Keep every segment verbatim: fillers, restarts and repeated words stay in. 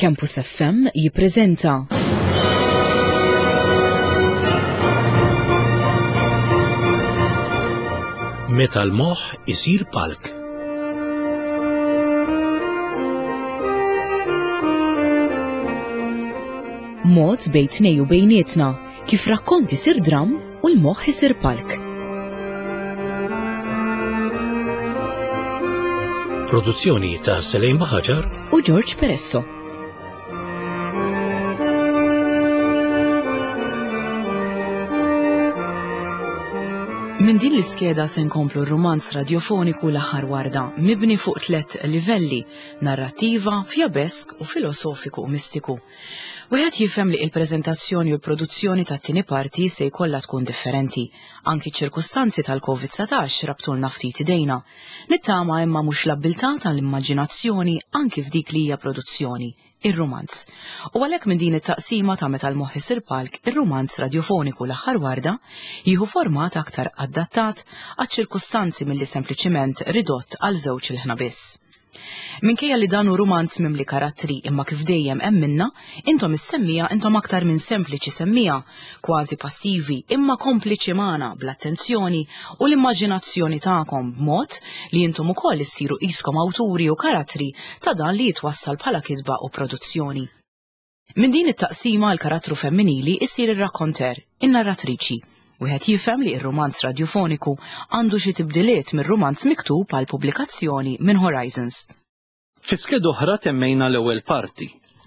Campus F M jippreżenta Meta l-moħħ isir palk. Mod bejn tnejn u bejnietna kif rakkont isir dram u l-moħħ isir palk. Produzzjoni ta' Selejn Baħaġar u George Peresso. Minn din l-iskeda se nkomplu r-rumanz radiofoniku L-Aħħar Warda, mibni fuq tliet livelli: narrattiva, fjabesk u filosofiku u mistiku. Wieħed jifhem li il-preżentazzjoni u l-produzzjoni tat-tieni parti se jkollha tkun differenti. Anki ċ-ċirkustanzi tal-Covid dsatax rabtulna ftit idejna. Nittama imma mhux l-abbiltà tal-immaġinazzjoni anki f'dik li hija produzzjoni, ir-rumanz. U għalhekk minn din it-taqsima ta' Meta l-moħħ isir palk, ir-rumanz radiofoniku L-Aħħar Warda jieħu format aktar adattat għaċ-ċirkustanzi milli sempliċiment ridott għal żewġ ilħna biss. Minkejja li dan hu rumanz mimli karattri, imma kif dejjem hemm minna, intom is-semmija intom aktar minn sempliċi semmija, kważi passivi, imma kompliċi magħna bl-attenzjoni u l-immaġinazzjoni tagħkom b'mod li intom ukoll issiru qiskom awturi u karattri ta' dan li jitwassal bħala kitba u produzzjoni. Minn din it-taqsima l-karattru femminili isir ir-rakkonter, in-narratriċi. Wieħed jifhem li ir-rumanz radiofoniku għandu xi tibdiliet mir-rumanz miktub għal pubblikazzjoni minn Horizons. Fi skeda oħra temmejna l-ewwel parti.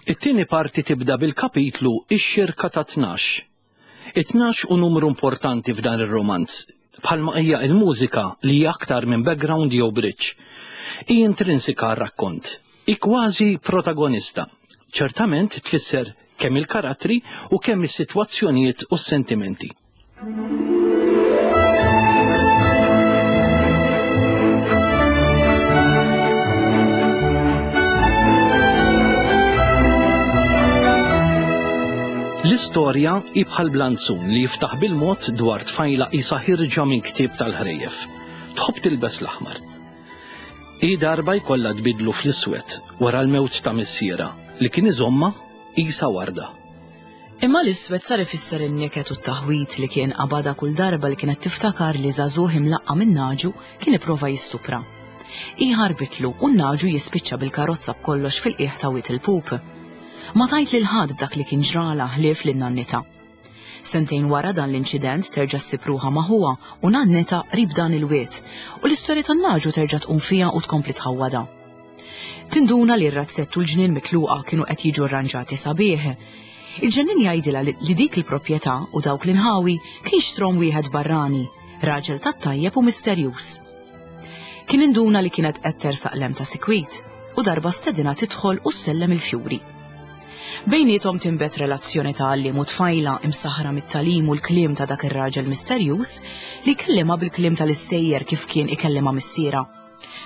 It-tieni parti tibda bil-kapitlu Ix-xirka ta' tnax. It-tnax hu numru importanti f'dan ir-romanz, bħalma hija il-mużika li hija aktar minn background jew bridge. Hi intrinsika għar-rakkont. Hi kważi protagonista. Ċertament tfisser kemm il-karattri u kemm is-sitwazzjonijiet u s-sentimenti. L-istorja hi bħal blanzun li jiftaħ bil-mod dwar tfajla qisha ħierġa minn ktieb tal-ħrejjef. Tħobb tilbes l-aħmar. Hi darba jkollha tbidlu fl-iswed wara l-mewt ta' missiera li kien iżomma qisha warda. Imma l-iswed sar ifisser in-niket u t-taħwit li kien qabada kull darba li kienet tiftakar li żagħżugħ imlaqqa minn naġu kien ipprova jissupra. Hi ħarbitlu u n-naġu jispiċċa bil-karozza b'kollox fil-qiegħ ta' Wied il-Pup. Ma tgħid lil ħadd b'dak li kien ġrala ħlief lil nannita. Sentejn wara dan l-inċident terġa' ssib ruħha ma' ħuha u nannita qrib dan il-wied u l-istorja tan-naġu terġa' tqum fiha u tkompli tħawwadha. Tinduna li r-razzett u l-ġnien mitluqa kienu qed jiġu arranġati sabiħ. Il-ġennin jgħidilha li dik il-proprjetà u dawk l-inħawi kien xtrom wieħed barrani, raġel tat-tajjeb u misterjuż. Kien induna li kienet qed tersaq lem ta' sikwit u darba stedina tidħol u ssellem il-fjuri. Bejniethom tinbet relazzjoni ta' għalliem u tfajla imsaħra mit-tagħlim u l-kliem ta' dak ir-raġel misterjuż li kellima bil-kliem tal-istejjer kif kien ikellima missiera.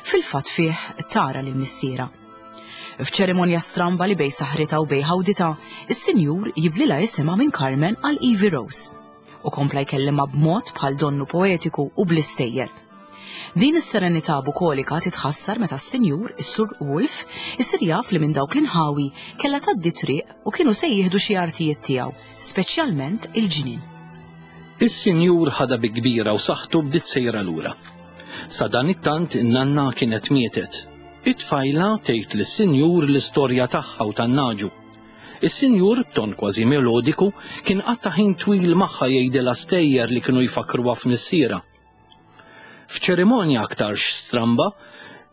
Fil-fatt fih tara lil missiera. F'ċerimonja stramba li bejn saħrita u bejn ħawdita, is-sinjur jibdlilha isimha minn Carmen għal Evie Rose u kompla jkellimha b'mod bħal donnu poetiku u bl-istejjer. Din is-serenità bukolika titħassar meta s-sinjur, is-Sur Wolf, isir jaf li minn dawk l-inħawi kellha tgħaddi triq u kienu se jieħdu xi artijiet tiegħu, speċjalment il-ġnien. Is-sinjur ħadha bi kbira u saħħtu bdiet sejra lura. Sa dan it-tant in-nanna kienet mietet. It-tfajla tgħid lis-sinjur l-istorja tagħha u tan-naġu. Is-sinjur, b'ton kważi melodiku, kien qatta' ħin twil magħha jgħidilha stejjer li kienu jfakruha f'missiera. F'ċerimonja aktarx stramba,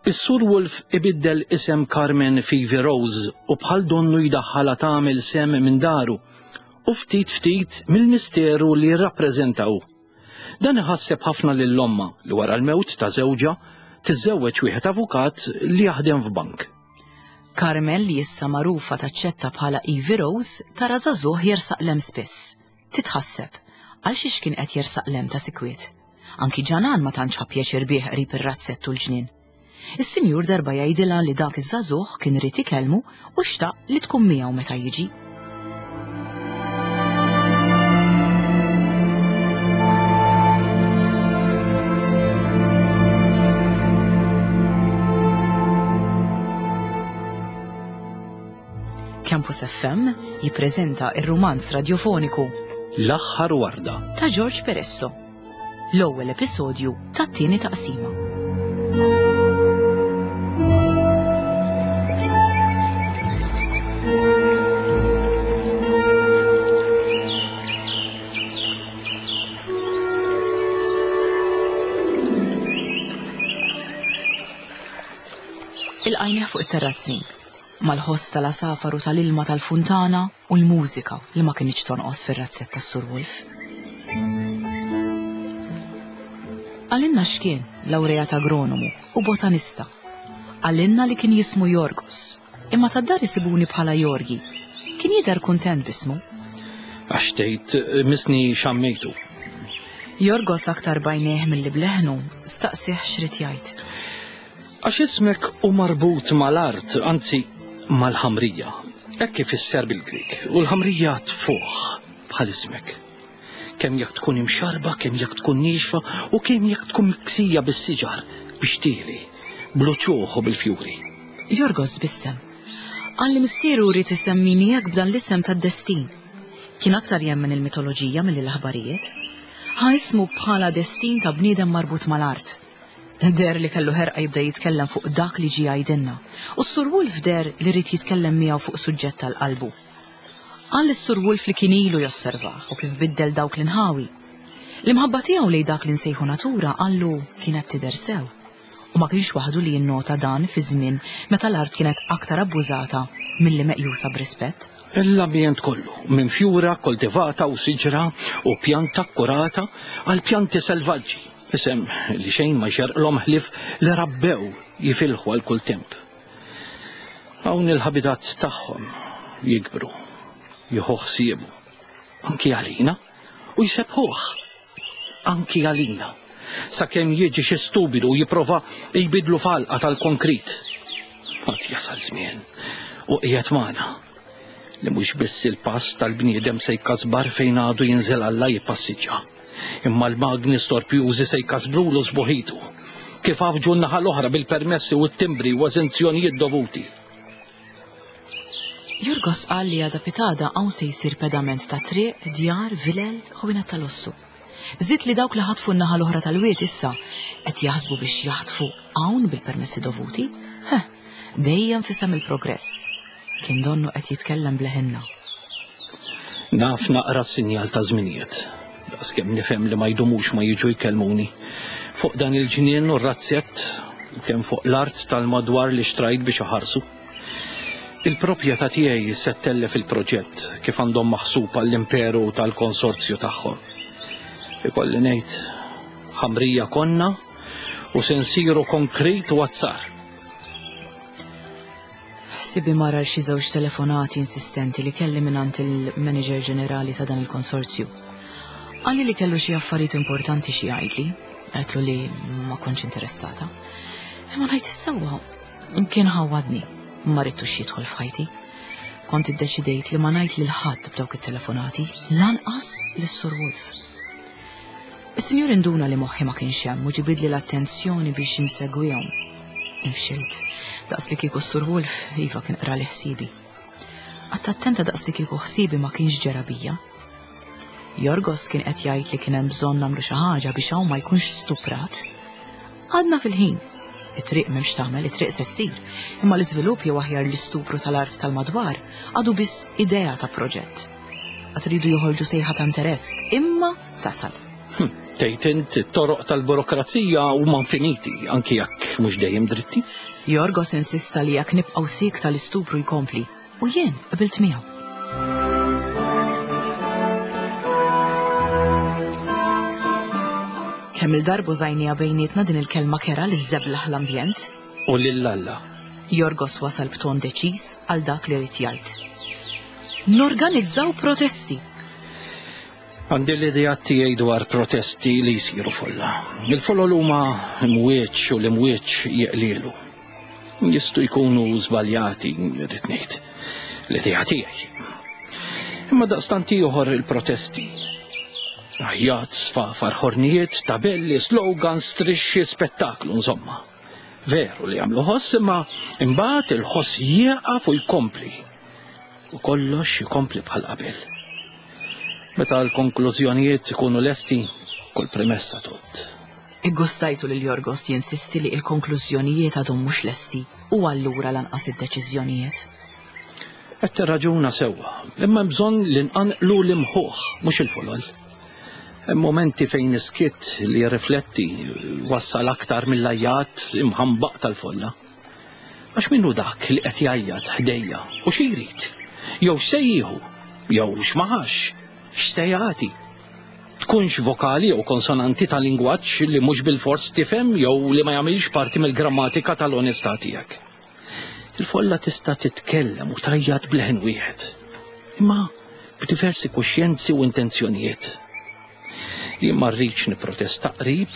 is-Sur Wolf ibiddel isem Carmen f'Evie Rose u bħal donnu jdaħħalha tagħmel sem minn daru u ftit ftit mill-misteru li jirrappreżentaw. Dan iħasseb ħafna lil ommha li wara l-mewt ta' żewġha tiżżewweġ wieħed avukat li jaħdem f'bank. Carmen, li issa magħrufa taċċetta bħala Evie Rose, tara żagħżugħ jersaq lem spiss. Titħasseb għal xiex kien qed jersaq lem ta' sikwiet. Anki ġanan ma tantx ħa pjaċir bih qrib ir-razzett u l-ġnien. Is-sinjur darba jgħidilha li dak iż-żagħżugħ kien irid ikellmu u xtaq li tkun miegħu meta jiġi. Campus F M jippreżenta ir-rumanz radiofoniku L-aħħar warda ta' George Peresso. L-ewwel episodju tat-tieni taqsima. Il-qajnieh fuq it-terrazzin, mal-ħoss tal-għasafar u tal-ilma tal-funtana u l-mużika li ma kinitx tonqos fir-razzett tas-Sur Wolf. Għalinna x'kien lawrejat agronomu u botanista. Għalinna li kien jismu Jorgos, imma tad-dar isibuni bħala Jorgi. Kien jidher kuntent b'ismu. Għax tgħid misni xammejtu. Jorgos aktar bajnieh milli bleħnu, staqsih x'rid jgħid. Għax ismek hu marbut mal-art, anzi mal-ħamrija. Hekk ifisser bil-Grik, u l-ħamrija tfuħ bħal ismek. Kemm jekk tkun imxarba, kemm jekk tkun niexfa, u kemm jekk tkun miksija bis-siġar, bix-xtieli, bl-uċuħ u bil-fjuri. Jorgos tbissem. Qal li missieru rrid isemmini hekk b'dan l-isem tad-destin. Kien aktar jemmen il-mitoloġija milli l-aħbarijiet. Ħa ismu bħala destin ta' bniedem marbut mal-art. Deher li kellu ħerqa jibda jitkellem fuq dak li ġie jgħidilna, u s-Sur Wolf deher li rrid jitkellem miegħu fuq suġġett tal-qalbu. Qal lis-Sur Wolf li kien ilu josservah u kif biddel dawk l-inħawi. L-imħabba tiegħu lejn dak li nsejħu natura qallu kienet tidher sew, u ma kienx waħdu li jinnota dan fi żmien meta l-art kienet aktar abbużata milli meqjusa b'rispett. L-ambjent kollu, minn fjura koltivata u siġra u pjanta kkurata għal pjanti selvaġġi. Isem li xejn ma xerqlhom ħlief li rabbew jifilħu għal kull temp. Hawn il-ħabitat tagħhom jikbru, jieħu ħsiebu, anki għalina, u jsebħuh, anki għalina, sakemm jiġi xi stupidu u jipprova jbidlu falqa tal-konkrit. Għad jasal żmien u qiegħed magħna li mhux biss il-pass tal-bniedem se jkasbar fejn għadu jinżel Alla jippassiġġa. Imma l-magni storpjużi se jkasbrulu sbuħitu, kif għafġu n-naħa l-oħra bil-permessi u t-timbri u eżenzjonijiet dovuti. Jorgos qal li għada pitada hawn se jsir pedament ta' triq, djar, vilel, ħwienet tal-lussu. Żied li dawk li ħatfu n-naħa l-oħra tal-wied issa qed jaħsbu biex jaħtfu hawn bil-permessi dovuti. Heh, dejjem fisem il-progress. Kien donnu qed jitkellem bleħinna. Naf naqra s-sinjal ta' żminijiet. Daqskemm nifhem li ma jdumux ma jiġu jkellmuni. Fuq dan il-ġnien u r-razzett, u kemm fuq l-art tal-madwar li xtrajt biex iħarsu. Il-proprjetà tiegħi se ttellef il-proġett kif għandhom maħsub għall-imperu tal-konsorzju tagħhom. Ikolli ngħid, ħamrija konna u se nsiru konkrit u azzar. Ħsibi mara xi żewġ telefonati insistenti li kelli mingħand il-manager ġenerali ta' dan il-konsorzju. Qalli li kellu xi affarijiet importanti xi jgħidli, għedtlu li ma kontx interessata. Imma ngħid is-sewwa, kien ħawadni, ma ridtux jidħol f'ħajti. Kont iddeċidejt li ma ngħid lil ħadd b'dawk it-telefonati, lanqas lis-Sur Wolf. Is-sinjur induna li moħħi ma kienx hemm u ġibidli l-attenzjoni biex insegwihom. Infxilt, daqs li kieku s-Sur Wolf iva kien qra li ħsibi. Qatt attenta daqs li kieku ħsibi ma kienx ġera bija. Jorgos kien qed jgħid li kien hemm bżonn nagħmlu xi ħaġa biex hawn ma jkunx stuprat. Għadna fil-ħin. It-triq m'hemmx tagħmel, it-triq se ssir, imma l-iżvilupp jew aħjar l-istupru tal-art tal-madwar għadu biss idea ta' proġett. Għad iridu joħorġu sejħa ta' interess, imma tasal. Hm, tgħid int it-toroq tal-burokrazija huma infiniti, anki jekk mhux dejjem dritti. Jorgos insista li jekk nibqgħu sik tal-istupru jkompli, u jien qbilt miegħu. Kemm il-darbu żajnija bejnietna din il-kelma kera li żeblaħ l-ambjent. U lil Alla. Jorgos wasal b'ton deċiż għal dak li rid jgħid. Norganizzaw protesti. Għandi l-idea tiegħi dwar protesti li jsiru folla. Il-folol huma imwieġ u l-imwieġ jeqlielu. Jistgħu jkunu żbaljati, rrid ngħid. L-idea tiegħi. Imma daqstant ieħor il-protesti. Għajjat, sfafar, ħornijiet, tabelli, slogans, strixxi, spettaklu, insomma. Veru li jagħmlu ħoss, imma imbagħad il-ħoss jieqaf u jkompli. U kollox jkompli bħal qabel. Meta l-konklużjonijiet ikunu lesti, kull premessa tot. Iggustajtu lil Jorgos jinsisti li l-konklużjonijiet għadhom mhux lesti u allura lanqas id-deċiżjonijiet. Qed tirraġuna sewwa, imma bżonn li nqanqlu l-imħuħ mhux il-folol. Hemm momenti fejn iskitt li jirrifletti wassal aktar mill-ajjat imħambaq tal-folla. Għax minnu dak li qed jgħajjat ħdejja u xi jrid? Jew x'se jieħu, jew x'maħax, x'se jagħti. Tkunx vokali jew konsonanti ta' lingwaġġ li mhux bilfors tifhem jew li ma jagħmilx parti mill-grammatika tal-onestà tiegħek. Il-folla tista' titkellem u tgħajjat b'leħen wieħed, imma b'diversi kuxjenzi u intenzjonijiet. Jien ma rridx nipprotesta qrib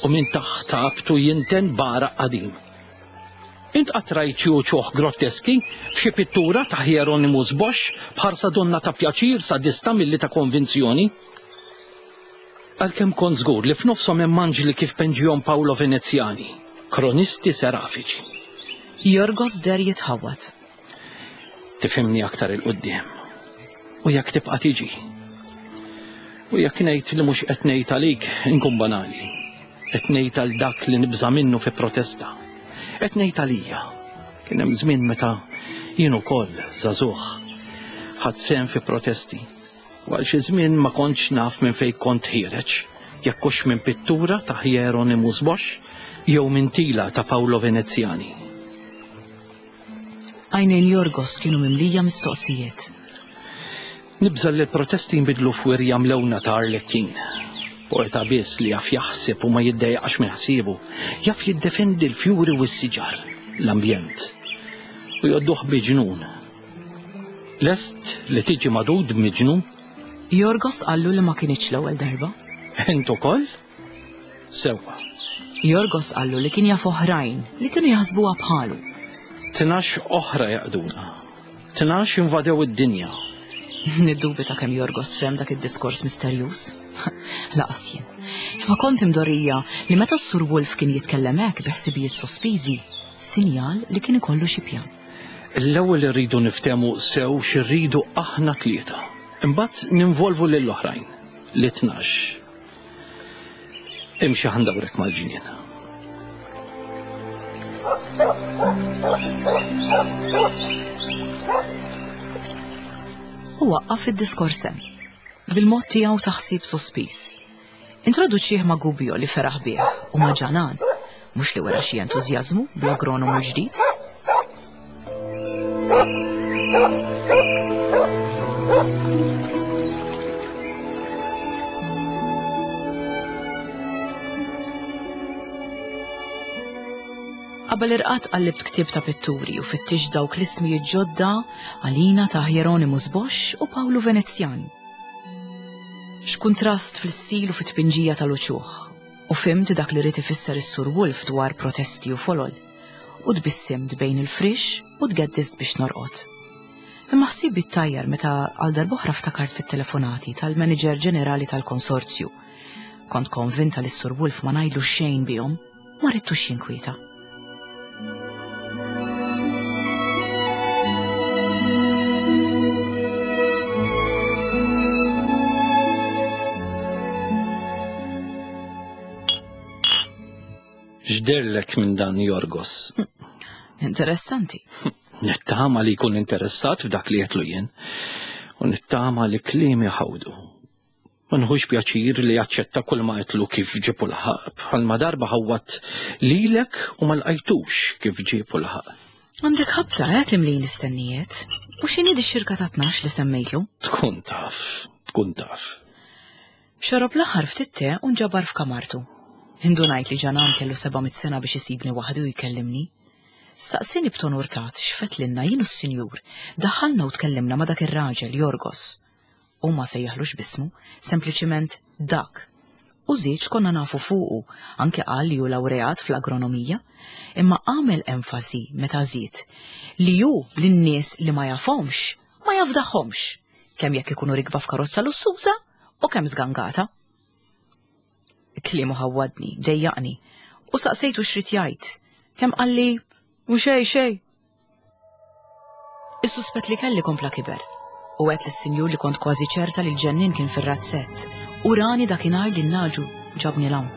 u minn taħt abtu jinten baraq qadim. Int qatt rajt xi uċuħ grotteski f'xi pittura ta' Hieronymus Bosch b'ħarsa donna ta' pjaċir sadista milli ta' konvinzjoni? Għalkemm kont żgur li f'nofshom hemm anġli kif penġihom Paolo Veneziani, kronisti serafiċi. Jorgos der jitħawwad. Tifhimni aktar il-qudiem. U jekk tibqa' tiġi. U jekk ngħid li mhux qed ngħid għalik inkun banali. Qed ngħid għal dak li nibża' minnu fi protesta. Qed ngħid għalija. Kien hemm żmien meta jien ukoll żagħżugħ ħadt sehem fi protesti. U għal xi żmien ma kontx naf minn fejn kont ħiereġ, jekk hux minn pittura ta' Hieronymus Bosch jew minn tila ta' Paolo Veneziani. Għajnejn Jorgos kienu mimlija mistoqsijiet. Nibża' li l-protesti jinbidlu f'wirja mlewna ta' Arlecchino. Poeta biss li jaf jaħseb u ma jiddejjaqx minn ħsiebu, jaf jiddefendi l-fjuri u s-siġar, l-ambjent, u jgħodduh miġnun. Lest li tiġi madud miġnun? Jorgos qallu li ma kienx l-ewwel darba. Int ukoll? Sewwa. Jorgos qallu li kien jaf oħrajn li kienu jaħsbuha bħalu. Tnax oħra jaqduna. Tnax invadew id-dinja. Niddubita kemm Jorgos fhem dak id-diskors misterjuż. Laqas jien. Imma kont imdorrija li meta s-Sur Wolf kien jitkellem hekk bi ħsibijiet sospiżi, sinjal li kien ikollu xi pjan. L-ewwel irridu niftehmu sew x'irridu aħna tlieta. Imbagħad ninvolvu lill-oħrajn, li tnax. Imxi ħandawrek mal-ġnien. U waqqaf id-diskors hemm, bil-mod tiegħu ta' ħsieb sospiż. Introduċih ma' Gubbio li feraħ bih u ma' Ġanan, mhux li wera xi entużjażmu bl-agronomu l-ġdid. Qabel irqad qallibt ktieb ta' pitturi u fittix dawk l-ismijiet ġodda għalina ta' Hieronymus Bosch u Paolo Veneziani. X'kuntrast fl-istil u fit-tpinġija tal-uċuħ, u fhimt dak li rid ifisser is-Sur Wolf dwar protesti u folol, u tbissimt bejn il-frix u tgeddist biex norqod. Imma ħsibi ttajjar meta għal darb'oħra ftakart fit-telefonati tal-manager ġenerali tal-konsorzju. Kont konvinta li s-Sur Wolf ma ngħidlu xejn bihom, ma ridtux jinkwieta. X'derlek minn dan Jorgos? Interessanti. Nittama li jkun interessat f'dak li qedlu jien u nittama li kliemi ħawdu. Ma nħux pjaċir li jaċċetta kull ma qedlu kif ġibu l-ħaq, bħalma darba ħawwat lilek u ma lqajtux kif ġibu l-ħaq. Għandek ħabta eh timlin l-istennijiet. U x'inhi di x-xirka ta' tnax li semmejtlu? Tkun taf, tkun taf. Xorob l-aħħar ftit te u nġabar f'kamartu. Indunajt li Ġanan kellu seba' mitt sena biex isibni waħdu u jkellimni. Staqsini b'ton urtat x'fetlinna jien u s-sinjur. Daħalna u tkellimna ma' dak ir-raġel Jorgos. U ma sejjaħlux bismu, sempliċiment dak. U żied konna nafu fuqu, anke qal li hu lawreat fl-agronomija, imma għamel enfasi meta żied li hu lin-nies li ma jafhomx, ma jafdaħhomx, kemm jekk ikunu rikba f'karozza lussuża u kemm żgangata. Kliemu ħawwadni, dejjaqni, u saqsejtu x'rid jgħid. Kemm qalli, u xej xej. Is-suspett li kelli kompla kiber. U għedt lis-sinjur li kont kważi ċerta li l-ġennin kien fir-razzett u rani dakinhar li n-naġu ġabni 'l hawn.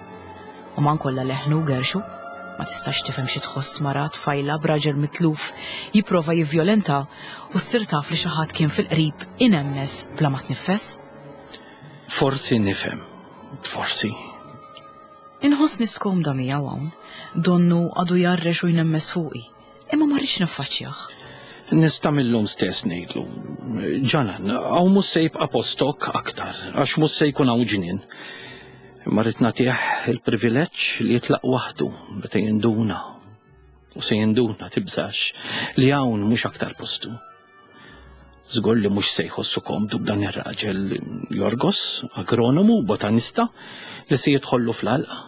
U man kollha leħnu gerxu, ma tistax tifhem xi tħoss mara tfajla b'raġel mitluf jipprova jivvjolenta u ssir taf li xi ħadd kien fil-qrib inemnes bla ma tniffes. Forsi nifhem, forsi. Inħossni skomda miegħu hawn, donnu għadu jarrex u jnemmes fuqi, imma ma rridx niffaċċjah. Nista' millum stess ngħidlu. Ġanan, hawn mhux se jibqa' postok aktar, għax mhux se jkun hawn ġnien. Imma rrid nagħtih il-privileġġ li jitlaq waħdu meta jinduna. U se jinduna tibżax li hawn mhux aktar postu. Żgur li mhux se jħossu komdu b'dan ir-raġel Jorgos, agronomu, botanista, li se jidħollu fl-għalqa.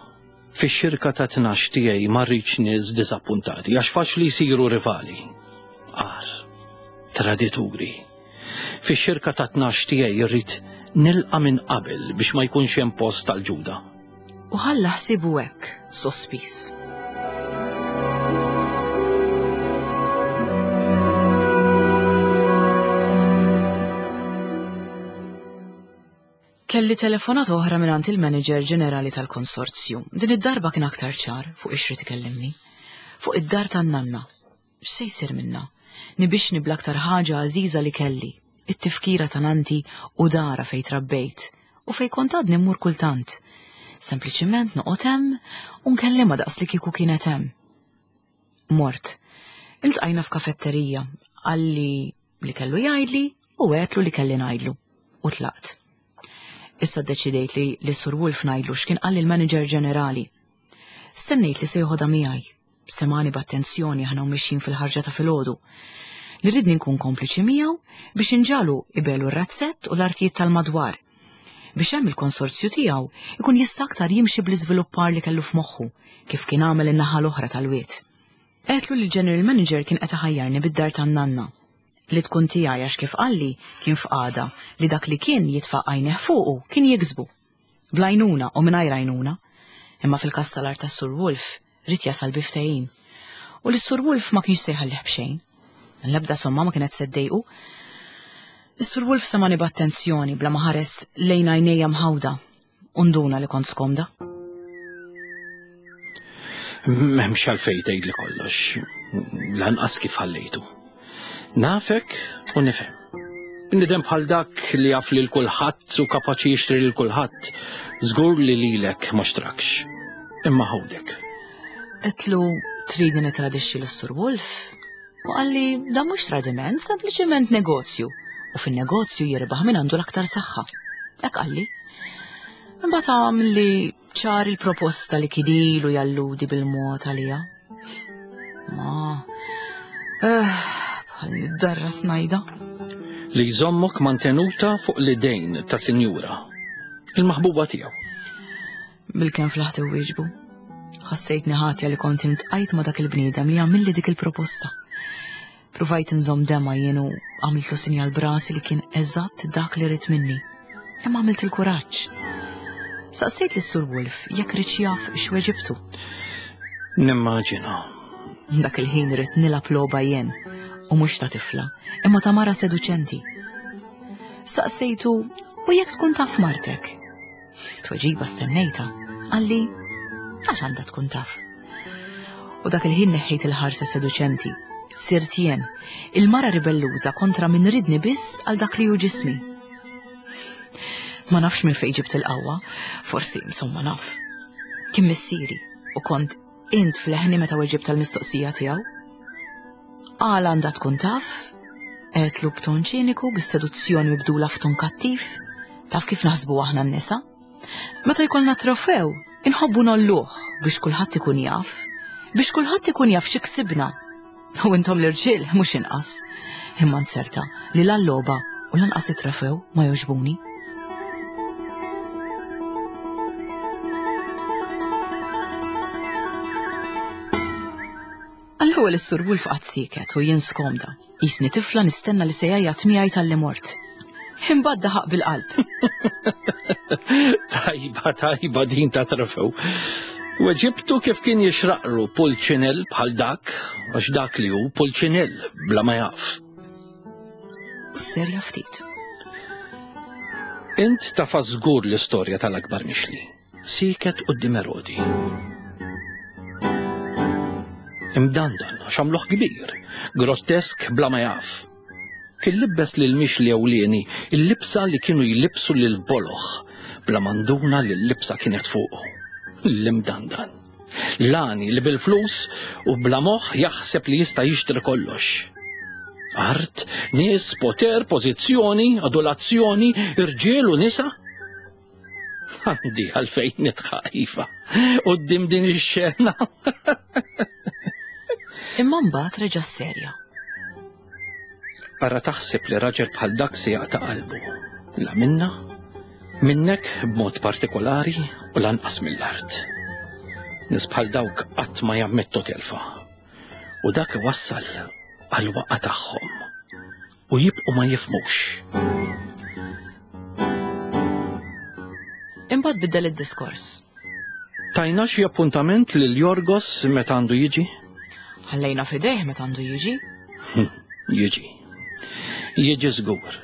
Fix-xirka ta' tnax tiegħi ma rridx nies diżappuntati għax faċli jsiru rivali. Għar, tradituri. Fix-xirka ta' tnax tiegħi rrid nilqa' minn qabel biex ma jkunx hemm post tal-ġuda. U ħalla ħsibu hekk, sospiż. Kelli telefonata oħra mingħand il-manager ġenerali tal-konsorzju. Din id-darba kien aktar ċar fuq ix-xrid ikellimni. Fuq id-dar tan-nanna. X'se jsir minna? Nibixni bl-aktar ħaġa għażiża li kelli, it-tifkira ta' nanti u dara fejn trabbejt u fejn kont għadni mmur kultant. Sempliċiment noqgħod hemm u nkellimha daqs li kieku kienet hemm. Mort. Iltqajna f'kafetterija, qalli li kellu jgħidli u għedtlu li kelli ngħidlu u tlaqt. Issa ddeċidejt li li Sur Wolf ngħidlu x'kien qalli l-manager ġenerali. Stennejt li se joħodha miegħi. Semani b'attenzjoni aħna u mixjin fil-ħarġa ta' filgħodu. Li ridni nkun kompliċi miegħu biex inġalu ibelu r-razzett u l-artijiet tal-madwar. Biex hemm il-konsorzju tiegħu ikun jista' aktar jimxi bl-iżviluppar li kellu f'moħħu kif kien għamel in-naħa l-oħra tal-wied. Għedtlu li l-general manager kien qed iħajjarni bid-dar tan-nanna. Li tkun tiegħi għax kif qalli kien f'qagħda li dak li kien jitfa' għajneh fuqu kien jiksbu. Bl-għajnuna u mingħajr għajnuna. Imma fil-każ tal-art tas-Sur Wolf rrid jasal bi ftehim. U li s-Sur Wolf ma kienx se jħallih b'xejn. L-ebda somma ma kienet se ddejqu. Is-Sur Wolf semani b'attenzjoni bla ma ħares lejn għajnejja mħawda u nduna li kont skomda. M'hemmx għalfejn tgħidli kollox, lanqas kif ħallejtu. Nafek u nifhem. Bniedem bħal dak li jaf lil kulħadd u kapaċi jixtri lil kulħadd, żgur li lilek ma xtrakx. Imma ħawdek. Għedtlu tridni nitradixxi lis-Sur Wolf? U qalli dan mhux tradiment, sempliċement negozju. U fin-negozju jirbaħ min għandu l-aktar saħħa. Hekk qalli. Imbagħad għamli ċar il-proposta li kien ilu jalludi bil-mod għalija. Ma, eh, bħal darra snajda. Li jżommok mantenuta fuq l-idejn ta' sinjura, il-maħbuba tiegħu. Bil-kemm flaħt iwieġbu. Ħassejtni ħatja li kont intqajt ma' dak il-bniedem li għamilli dik il-proposta. Pruvajt nżomm dema jien u għamiltlu sinjal brasi li kien eżatt dak li ried minni. Imma għamilt il-kuraġġ. Saqsejt lis-Sur Wolf jekk riedx jaf x'weġibtu. Nimmaġina. Dak il-ħin ridt nilgħab logħba jien u mhux ta' tifla, imma ta' mara seduċenti. Saqsejtu u jekk tkun taf martek. Tweġiba stennejta, qalli għax għandha tkun taf. U dak il-ħin neħħejt il-ħarsa seduċenti. Sirt jien, il-mara ribelluża kontra min ridni biss għal dak li hu ġismi. Ma nafx minn fejn ġibt il-qawwa, forsi insomma naf. Kien missieri u kont int fl-ħni meta weġibt tal-mistoqsija tiegħu. Għala għandha tkun taf, għedtlu b'ton ċiniku bis-seduzzjoni mibdula f'ton kattiv, taf kif naħsbu aħna n-nisa. Meta jkollna trofew, inħobbu nolluh biex kulħadd ikun jaf, biex kulħadd ikun jaf xi ksibna. U intom l-irġiel mhux inqas. Imma nserta li la l-logħba u lanqas it-trofew ma jogħġbuni. Għall-ewwel is-Sur Wolf qatt sieket u jien skomda. Jisni tifla nistenna li se jgħajjat miegħi tal-li mort. Imbagħad daħaq bil-qalb. Tajba, tajba din ta' trofew. Weġibtu kif kien jixraqlu pulċinell bħal dak, għax dak li hu pulċinell bla ma jaf. u serja ftit. Int tafa żgur l-istorja tal-akbar mixli. Siket quddiem Erodi. Imdandan, xamluħ kbir, grottesk bla ma jaf. Kien libbes lil mixli ewlieni il-libsa li kienu jlibsu lil boloħ, bla manduna li l-libsa kienet fuqu. L-imdandan. Lani li bil-flus u bla moħħ jaħseb li jista' jixtri kollox. Art, nies, poter, pożizzjoni, adulazzjoni, irġiel u nisa. Għandi għalfejn nitħaq iva quddiem din ix-xena. Imma mbagħad reġa' serja. Ara taħseb li raġel bħal dak se jaqta' qalbu. La minna, minnek b'mod partikolari u lanqas mill-art. Nies bħal dawk qatt ma jammettu telfa. U dak iwassal għal waqa tagħhom. U jibqu ma jifmux. Imbagħad biddel id-diskors. Tajna xi appuntament lil Jorgos meta għandu jiġi? Ħallejna f'idejh meta għandu jiġi. Jiġi. Jiġi żgur.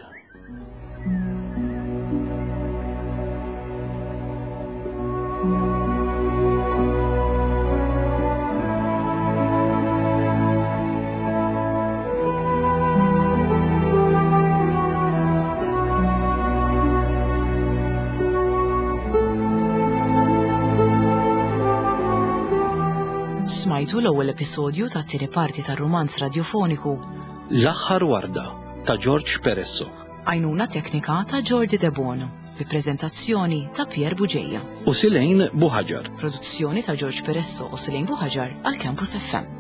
Smajtu l-ewwel episodju tat-tieni parti tar-rumanz radiofoniku L-aħħar warda ta' George Peresso Għajnuna teknika ta' Jordi De Bono, bi preżentazzjoni ta' Pier Buġeja. u Silejn Buħaġar. Produzzjoni ta' George Peresso u Silejn Buħaġar għal Campus F M.